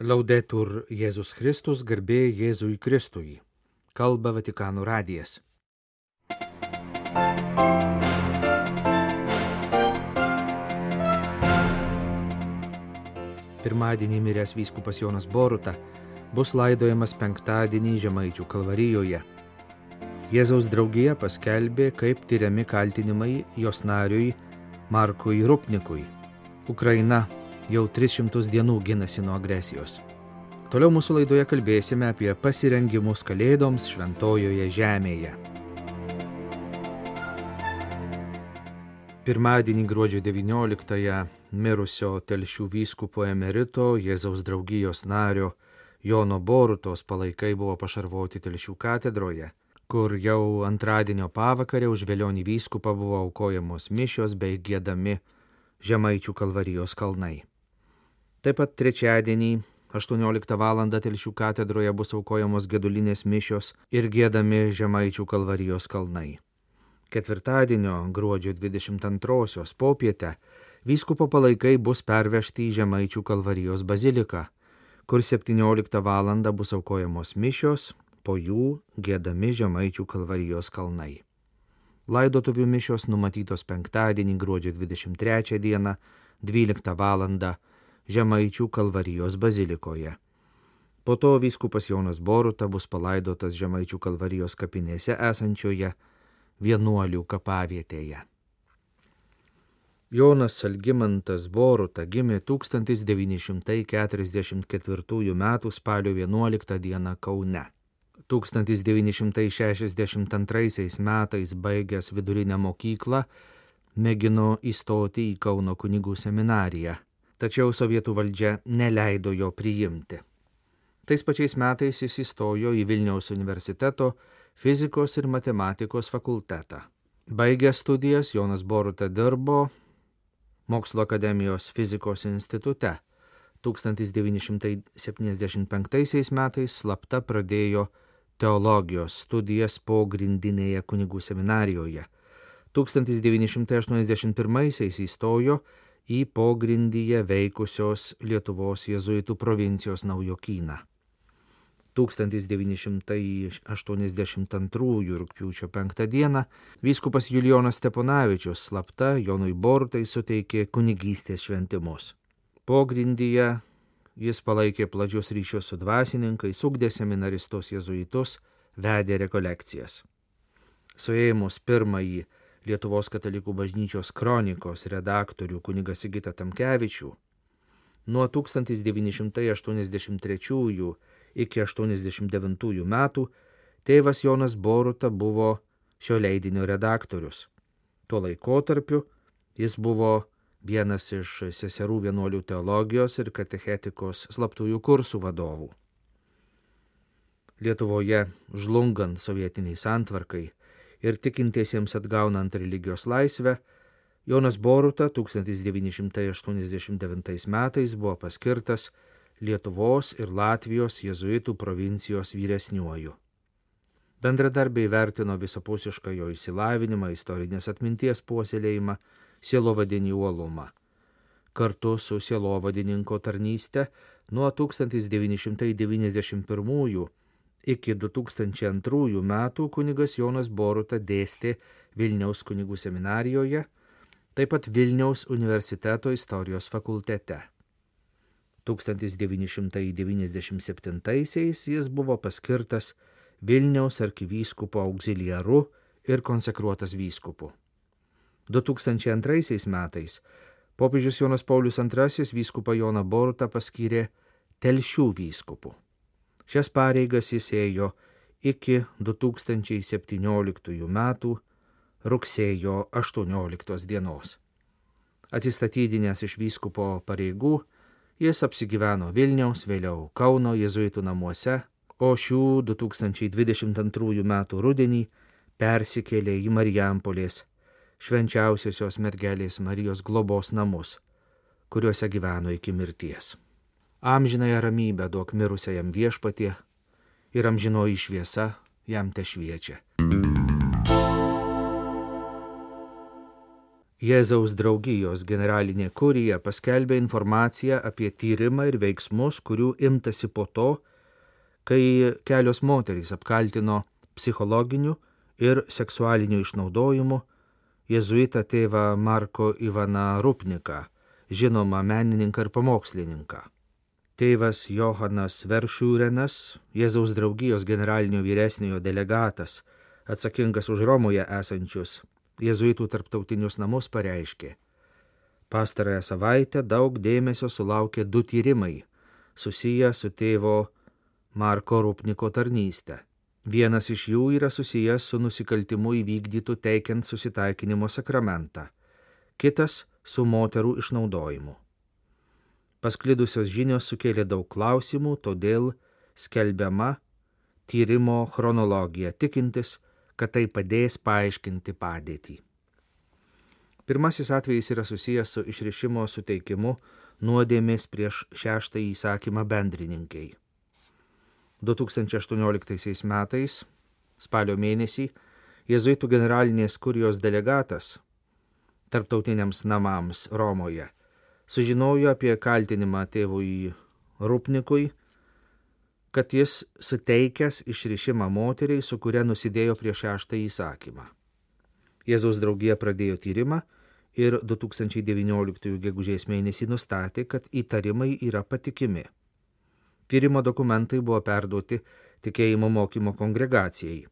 Laudetur Jėzus Kristus, garbė Jėzui Kristui. Kalba Vatikano radijas. Pirmadienį miręs vyskupas Jonas Boruta bus laidojamas penktadienį Žemaičių Kalvarijoje. Jėzaus draugija paskelbė, kaip tyriami kaltinimai jos nariui Markui Rupnikui. Ukraina jau 300 dienų ginasi nuo agresijos. Toliau mūsų laidoje kalbėsime apie pasirengimus Kalėdoms Šventojoje Žemėje. Pirmadienį gruodžio 19-ąją mirusio Telšių vyskupo emerito Jėzaus draugijos nario Jono Borutos palaikai buvo pašarvoti Telšių katedroje, kur jau antradienio pavakarę už Velionį vyskupą buvo aukojamos mišios bei giedami Žemaičių Kalvarijos kalnai. Taip pat trečiadienį 18 val. Telšių katedroje bus aukojamos gedulinės mišios ir giedami Žemaičių Kalvarijos kalnai. Ketvirtadienio gruodžio 22-osios popietę vyskupo palaikai bus pervežti į Žemaičių Kalvarijos baziliką, kur 17 val. Bus aukojamos mišios, po jų giedami Žemaičių Kalvarijos kalnai. Laidotuvių mišios numatytos penktadienį gruodžio 23 dieną 12 val. Žemaičių Kalvarijos bazilikoje. Po to vyskupas Jonas Boruta bus palaidotas Žemaičių Kalvarijos kapinėse esančioje Vienuolių kapavietėje. Jonas Algimantas Boruta gimė 1944 m. spalio 11 d. Kaune. 1962 metais baigęs vidurinę mokyklą mėgino įstoti į Kauno kunigų seminariją, tačiau sovietų valdžia neleido jo priimti. Tais pačiais metais jis įstojo į Vilniaus universiteto fizikos ir matematikos fakultetą. Baigęs studijas Jonas Boruta dirbo Mokslo akademijos fizikos institute. 1975 metais slapta pradėjo teologijos studijas pogrindinėje kunigų seminarijoje. 1981 įstojo į pogrindyje veikusios Lietuvos jėzuitų provincijos Naujokyną. 1982 rugpjūčio 5 dieną vyskupas Julijonas Steponavičius slapta Jonui Borutai suteikė kunigystės šventimus. Pogrindyje jis palaikė plačius ryšius su dvasininkais, ugdė seminaristus jėzuitus, vedė rekolekcijas. Suėmus pirmąjį Lietuvos katalikų bažnyčios kronikos redaktorių kunigą Sigitą Tamkevičių, nuo 1983 iki 1989 metų tėvas Jonas Boruta buvo šio leidinio redaktorius. Tuo laikotarpiu jis buvo vienas iš seserų vienuolių teologijos ir katechetikos slaptųjų kursų vadovų. Lietuvoje žlungant sovietiniai santvarkai ir tikintiesiems atgaunant religijos laisvę, Jonas Boruta 1989 metais buvo paskirtas Lietuvos ir Latvijos jėzuitų provincijos vyresniuoju. Bendradarbiai vertino visapusišką jo išsilavinimą, istorinės atminties puoselėjimą, sielovadinį uolumą. Kartu su sielovadininko tarnyste nuo 1991 iki 2002 metų kunigas Jonas Boruta dėstė Vilniaus kunigų seminarijoje, taip pat Vilniaus universiteto istorijos fakultete. 1997 jis buvo paskirtas Vilniaus arkivyskupo auxiliaru ir konsekruotas vyskupu. 2002 metais popiežius Jonas Paulius II vyskupą Joną Borutą paskyrė Telšių vyskupu. Šias pareigas jis ėjo iki 2017 metų rugsėjo 18 dienos. Atsistatydinęs iš vyskupo pareigų, jis apsigyveno Vilniaus, vėliau Kauno jėzuitų namuose, o šių 2022 metų rudenį persikėlė į Marijampolės Švenčiausiosios mergelės Marijos globos namus, kuriuose gyveno iki mirties. Amžinąją ramybę duok mirusiajam Viešpatie ir amžinoji šviesa jam tešviečia. Jėzaus draugijos generalinė kurija paskelbė informaciją apie tyrimą ir veiksmus, kurių imtasi po to, kai kelios moterys apkaltino psichologiniu ir seksualiniu išnaudojimu jėzuitą tėvą Marko Ivaną Rupniką, žinomą menininką ir pamokslininką. Tėvas Johanas Veršiūrenas, Jėzaus draugijos generalinio vyresniojo delegatas, atsakingas už Romoje esančius jėzuitų tarptautinius namus, pareiškė: pastarąją savaitę daug dėmesio sulaukė 2 tyrimai susiję su tėvo Marko Rupniko tarnyste. Vienas iš jų yra susijęs su nusikaltimu įvykdytu teikiant susitaikinimo sakramentą, kitas su moterų išnaudojimu. Pasklidusios žinios sukėlė daug klausimų, todėl skelbiama tyrimo chronologija, tikintis, kad tai padės paaiškinti padėtį. Pirmasis atvejis yra susijęs su išrišimo suteikimu nuodėmės prieš 6 įsakymą bendrininkai. 2018 metais, spalio mėnesį, jėzuitų generalinės kurijos delegatas tarptautiniams namams Romoje sužinojo apie kaltinimą tėvui Rupnikui, kad jis suteikęs išrišimą moteriai, su kuria nusidėjo prieš 6 įsakymą. Jėzaus draugija pradėjo tyrimą ir 2019 gegužės mėnesį nustatė, kad įtarimai yra patikimi. Tyrimo dokumentai buvo perduoti tikėjimo mokymo kongregacijai,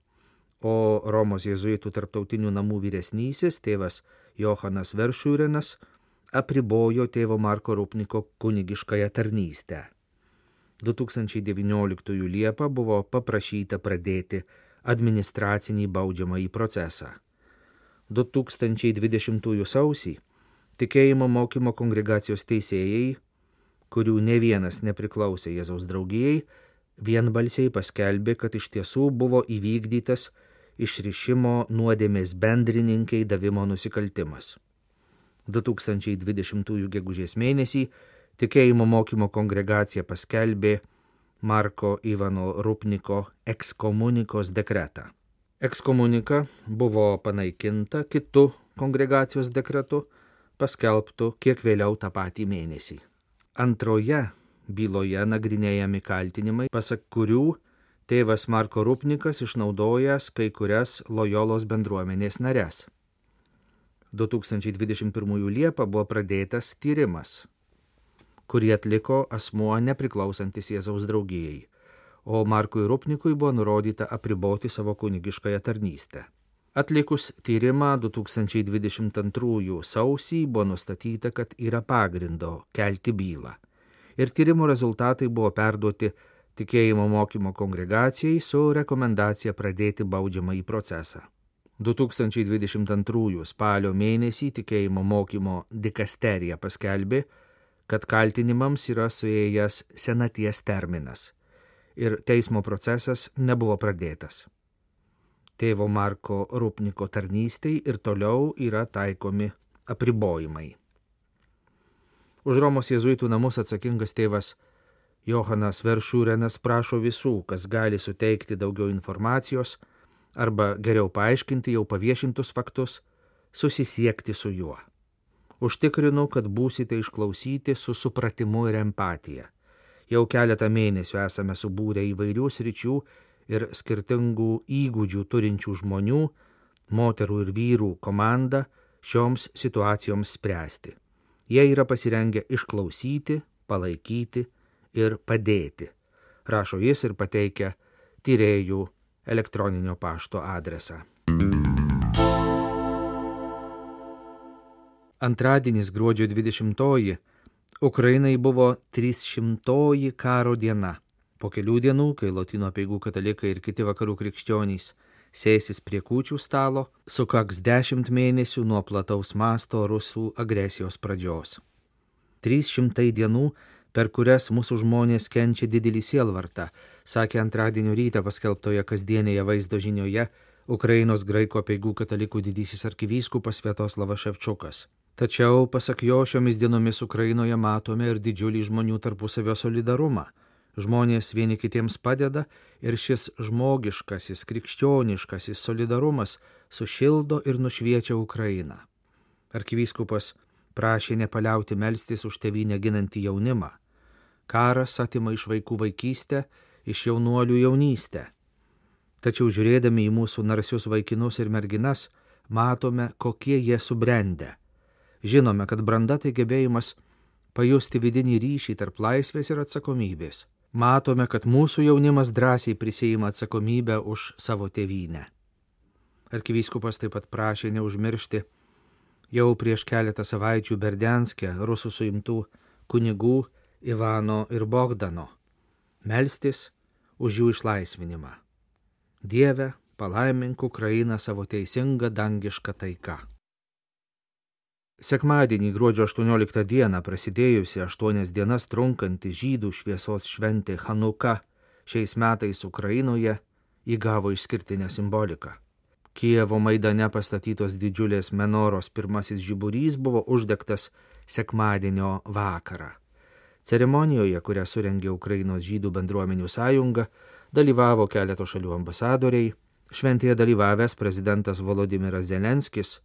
o Romos jėzuitų tarptautinių namų vyresnysis tėvas Johanas Veršiūrenas apribojo tėvo Marko Rupniko kunigiškąją tarnystę. 2019 Liepą buvo paprašyta pradėti administracinį baudžiamąjį procesą. 2020 sausį tikėjimo mokymo kongregacijos teisėjai, kurių ne vienas nepriklausė Jėzaus draugijai, vienbalsiai paskelbė, kad iš tiesų buvo įvykdytas išrišimo nuodėmės bendrininkai davimo nusikaltimas. 2020 gegužės mėnesį tikėjimo mokymo kongregacija paskelbė Marko Ivano Rupniko ekskomunikos dekretą. Ekskomunika buvo panaikinta kitu kongregacijos dekretu, paskelbtu kiek vėliau tą patį mėnesį. Antroje byloje nagrinėjami kaltinimai, pasak kurių tėvas Marko Rupnikas išnaudojęs kai kurias Lojolos bendruomenės nares. 2021 Liepą buvo pradėtas tyrimas, kurį atliko asmuo nepriklausantis Jėzaus draugijai, o Markui Rupnikui buvo nurodyta apriboti savo kunigiškąją tarnystę. Atlikus tyrimą 2022 sausį buvo nustatyta, kad yra pagrindo kelti bylą, ir tyrimo rezultatai buvo perduoti tikėjimo mokymo kongregacijai su rekomendacija pradėti baudžiamąjį procesą. 2022 spalio mėnesį tikėjimo mokymo dikasterija paskelbė, kad kaltinimams yra suėjęs senaties terminas ir teismo procesas nebuvo pradėtas. Tėvo Marko Rupniko tarnystei ir toliau yra taikomi apribojimai. Už Romos jėzuitų namus atsakingas tėvas Johanas Veršiūrenas prašo visų, kas gali suteikti daugiau informacijos arba geriau paaiškinti jau paviešintus faktus, susisiekti su juo. Užtikrinu, kad būsite išklausyti su supratimu ir empatija. Jau keletą mėnesių esame subūrę įvairių sričių ir skirtingų įgūdžių turinčių žmonių, moterų ir vyrų komandą šioms situacijoms spręsti. Jie yra pasirengę išklausyti, palaikyti ir padėti, rašo jis ir pateikia tyrėjų elektroninio pašto adresą. Antradienis gruodžio 20 Ukrainai buvo 300 karo diena. Po kelių dienų, kai Lotynų apeigų katalikai ir kiti vakarų krikščionys sėsis prie kūčių stalo, sukaks 10 mėnesių nuo plataus masto rusų agresijos pradžios. 300 dienų, per kurias mūsų žmonės kenčia didelį sielvartą, sakė antradienio rytą paskelbtoje kasdienėje vaizdo žinioje Ukrainos graikų apeigų katalikų didysis arkivyskupas Sviatoslavas Ševčukas. Tačiau, pasak jo, šiomis dienomis Ukrainoje matome ir didžiulį žmonių tarpusavio solidarumą. Žmonės vieni kitiems padeda ir šis žmogiškasis, krikščioniškasis solidarumas sušildo ir nušviečia Ukrainą. Arkivyskupas prašė nepaliauti melstis už tėvynę ginantį jaunimą. Karas atima iš vaikų vaikystę, iš jaunuolių jaunystę. Tačiau žiūrėdami į mūsų narsius vaikinus ir merginas, matome, kokie jie subrendę. Žinome, kad branda tai gebėjimas pajusti vidinį ryšį tarp laisvės ir atsakomybės. Matome, kad mūsų jaunimas drąsiai prisiima atsakomybę už savo tėvynę. Arkivyskupas taip pat prašė neužmiršti jau prieš keletą savaičių Berdianske rusų suimtų kunigų Ivano ir Bogdano, melstis už jų išlaisvinimą. Dieve, palaimink Ukrainą savo teisingą dangišką taiką. Sekmadienį gruodžio 18 dieną prasidėjusi 8 dienas trunkanti žydų šviesos šventė Chanuka šiais metais Ukrainoje įgavo išskirtinę simboliką. Kijevo Maidane pastatytos didžiulės menoros pirmasis žiburys buvo uždegtas sekmadienio vakarą. Ceremonijoje, kurią surengė Ukrainos žydų bendruomenių sąjunga, dalyvavo keleto šalių ambasadoriai, šventėje dalyvavęs prezidentas Volodimiras Zelenskis,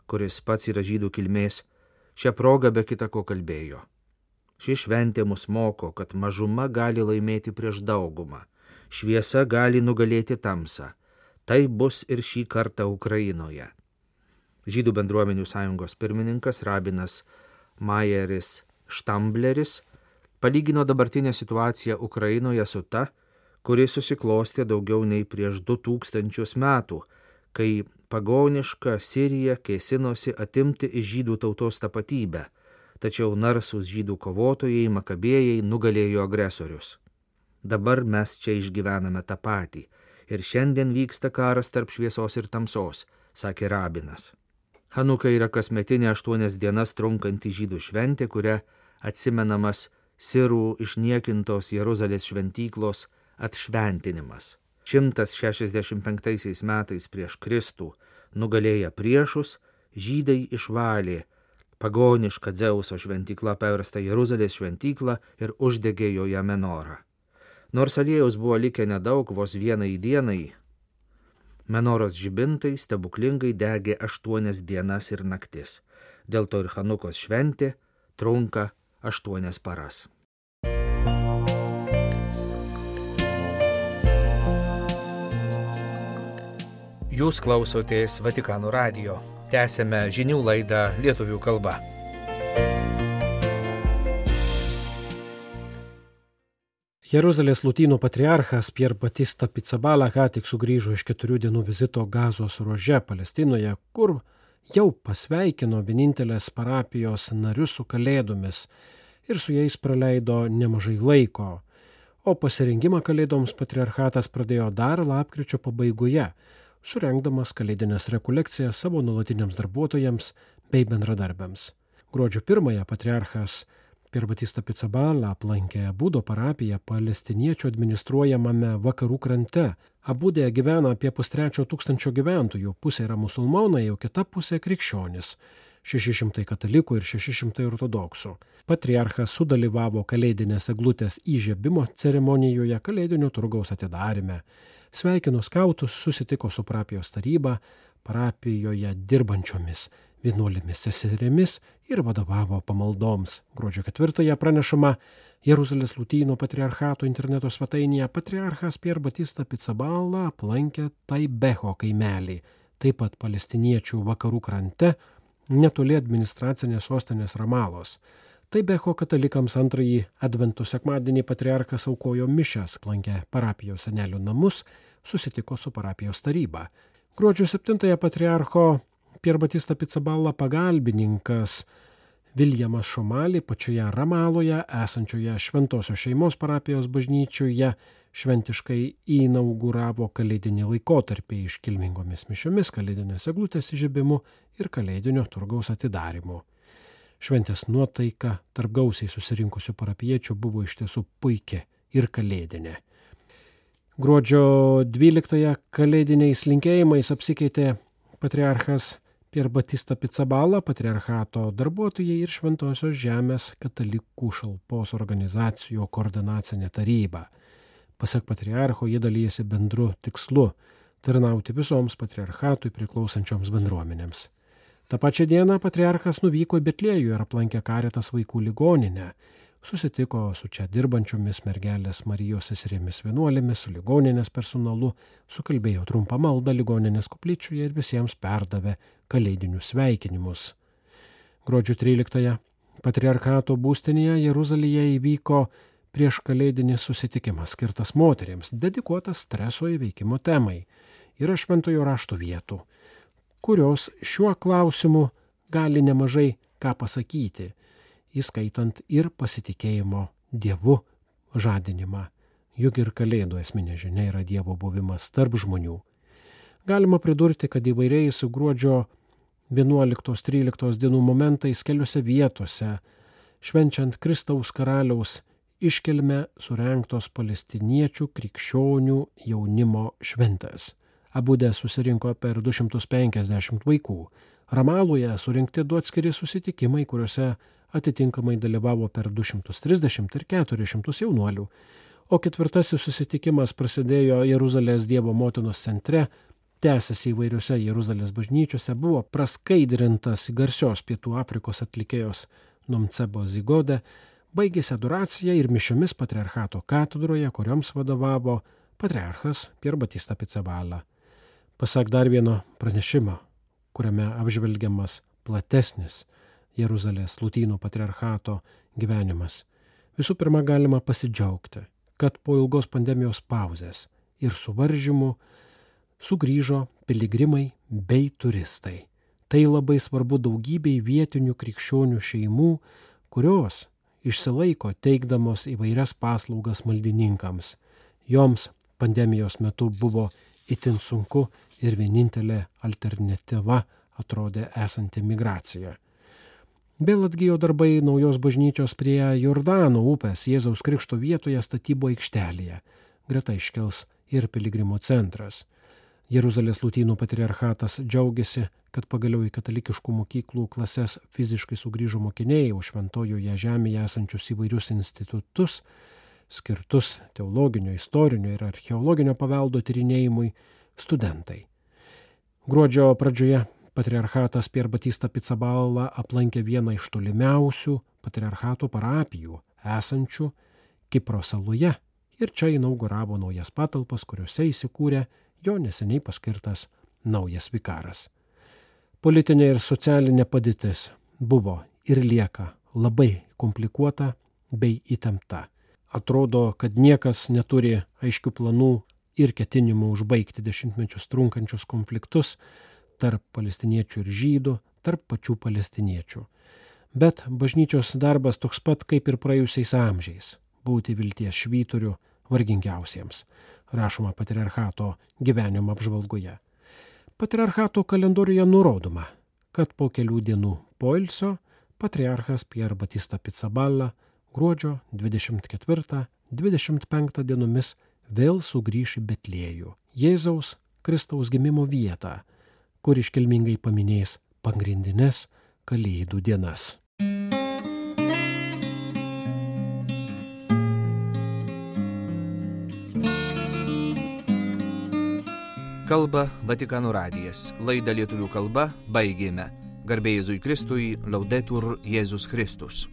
kuris pats yra žydų kilmės, šią progą be kita ko kalbėjo. Ši šventė mus moko, kad mažuma gali laimėti prieš daugumą, šviesa gali nugalėti tamsą. Tai bus ir šį kartą Ukrainoje. Žydų bendruomenių sąjungos pirmininkas rabinas Majeris Štambleris palygino dabartinę situaciją Ukrainoje su ta, kuri susiklostė daugiau nei prieš 2000 metų, kai pagoniška Sirija kėsinosi atimti iš žydų tautos tapatybę, tačiau narsūs žydų kovotojai makabėjai nugalėjo agresorius. Dabar mes čia išgyvename tą patį ir šiandien vyksta karas tarp šviesos ir tamsos, sakė rabinas. Chanuka yra kasmetinė 8 dienas trunkanti žydų šventė, kuria atsimenamas sirų išniekintos Jeruzalės šventyklos atšventinimas. 165 metais prieš Kristų nugalėję priešus, žydai išvalė pagonišką Dzeuso šventyklą paverstą Jeruzalės šventyklą ir uždegė joje menorą. Nors aliejaus buvo likę nedaug, vos vienai dienai, menoros žibintai stebuklingai degė 8 dienas ir naktis. Dėl to ir Chanukos šventė trunka 8 paras. Jūs klausotės Vatikano radijo. Tęsėme žinių laidą lietuvių kalba. Jeruzalės lotynų patriarchas Pier Batista Pizzaballa ką tik sugrįžo iš 4 dienų vizito Gazos ruože Palestinoje, kur jau pasveikino vienintelės parapijos narius su kalėdomis ir su jais praleido nemažai laiko. O pasirengimą kalėdoms patriarchatas pradėjo dar lapkričio pabaigoje, surengdamas kalėdinės rekolekcijas savo nuolatiniams darbuotojams bei bendradarbiams. Gruodžio 1 patriarchas Pier Batista Pizzaballa aplankė Abudo parapiją palestiniečių administruojamame vakarų krante. Abude gyvena apie 500 gyventojų, pusė yra musulmonai, o kita pusė krikščionis, 600 katalikų ir 600 ortodoksų. Patriarchas sudalyvavo kalėdinės eglutės įžiebimo ceremonijoje, kalėdinio turgaus atidarime. Sveikino skautus, susitiko su parapijos taryba, parapijoje dirbančiomis vienuolėmis seserimis ir vadovavo pamaldoms. Gruodžio 4 pranešama Jeruzalės lotynų patriarchato interneto svetainėje patriarchas Pier Batista Pizzaballa aplankė Taibeho kaimelį, taip pat palestiniečių vakarų krante, netoli administracinės sostinės Ramalos. Taibeho katalikams 2 advento sekmadienį patriarchas aukojo mišias, aplankė parapijos senelių namus, susitiko su parapijos taryba. Gruodžio 7 patriarcho Pier Batista Pizzaballa pagalbininkas Viljamas Šomali pačioje Ramaloje esančioje Šventosios šeimos parapijos bažnyčioje šventiškai inauguravo kalėdinį laikotarpį iškilmingomis mišiomis, kalėdinės eglutės įžiebimu ir kalėdinio turgaus atidarimu. Šventės nuotaika tarp gausiai susirinkusių parapiečių buvo iš tiesų puikia ir kalėdinė. Gruodžio 12 kalėdiniais linkėjimais apsikeitė patriarchas Pier Batista Pizzaballa, patriarchato darbuotojai ir Šventosios žemės katalikų šalpos organizacijų koordinacinė taryba. Pasak patriarcho, jie dalyjasi bendru tikslu – tarnauti visoms patriarchatui priklausančioms bendruomenėms. Ta pačia diena patriarchas nuvyko į Betliejų ir aplankė Karitas vaikų ligoninę. Susitiko su čia dirbančiomis mergelės Marijos seserėmis vienuolėmis, su ligoninės personalu, sukalbėjo trumpą maldą ligoninės koplyčioje ir visiems perdavė kalėdinius sveikinimus. Gruodžio 13-ąją patriarchato būstinėje Jeruzalėje įvyko prieš kalėdinis susitikimas skirtas moteriams, dedikuotas streso įveikimo temai. Yra šventojo rašto vietų, kurios šiuo klausimu gali nemažai ką pasakyti, įskaitant ir pasitikėjimo Dievu žadinimą. Juk ir kalėdų esminė žinia yra Dievo buvimas tarp žmonių. Galima pridurti, kad įvairiais gruodžio 11-13 dienų momentais keliose vietose, švenčiant Kristaus karaliaus iškilmę, surengtos palestiniečių krikščionių jaunimo šventės. Abude susirinko per 250 vaikų. Ramaloje surinkti 2 atskiri susitikimai, kuriuose atitinkamai dalyvavo per 230 ir 400 jaunuolių. O 4. susitikimas prasidėjo Jeruzalės Dievo motinos centre, tęsėsi įvairiuose Jeruzalės bažnyčiose, buvo praskaidrintas garsios Pietų Afrikos atlikėjos Nomcebo Zigode, baigėsi adoracija ir mišiomis patriarchato katedroje, kurioms vadovavo patriarchas Pier Batista Pizzaballa. Pasak dar vieno pranešimo, kuriame apžvelgiamas platesnis Jeruzalės Lotynų patriarchato gyvenimas, visų pirma galima pasidžiaugti, kad po ilgos pandemijos pauzės ir suvaržymų sugrįžo piligrimai bei turistai. Tai labai svarbu daugybei vietinių krikščionių šeimų, kurios išsilaiko teikdamos įvairias paslaugas maldininkams. Joms pandemijos metu buvo itin sunku ir vienintelė alternatyva atrodė esanti migracija. Vėl atgijo darbai naujos bažnyčios prie Jordano upės Jėzaus Krikšto vietoje statybo aikštelėje. Greta iškils ir piligrimų centras. Jeruzalės Lotynų patriarchatas džiaugiasi, kad pagaliau į katalikiškų mokyklų klases fiziškai sugrįžo mokiniai, o šventojoje žemėje esančius įvairius institutus, skirtus teologinio, istorinio ir archeologinio paveldo tyrinėjimui, studentai. Gruodžio pradžioje patriarchatas Pier Batista Pizzaballa aplankė vieną iš tolimiausių patriarchato parapijų esančių Kipro saloje ir čia inauguravo naujas patalpas, kuriuose įsikūrė jo neseniai paskirtas naujas vikaras. Politinė ir socialinė padėtis buvo ir lieka labai komplikuota bei įtempta. Atrodo, kad niekas neturi aiškių planų ir ketinimų užbaigti dešimtmečius trunkančius konfliktus tarp palestiniečių ir žydų, tarp pačių palestiniečių. Bet bažnyčios darbas toks pat kaip ir praėjusiais amžiais – būti vilties švyturiu vargingiausiems, rašoma patriarchato gyvenimo apžvalgoje. Patriarchato kalendoriuje nurodoma, kad po kelių dienų poilsio patriarchas Pier Batista Pizzaballa gruodžio 24-25 dienomis vėl sugrįš į Betliejų, Jėzaus Kristaus gimimo vietą, kur iškilmingai paminės pagrindines kalėdų dienas. Kalba Vatikano radijas. Laidą lietuvių kalba baigėme. Garbė Jėzui Kristui, Laudetur Jėzus Kristus.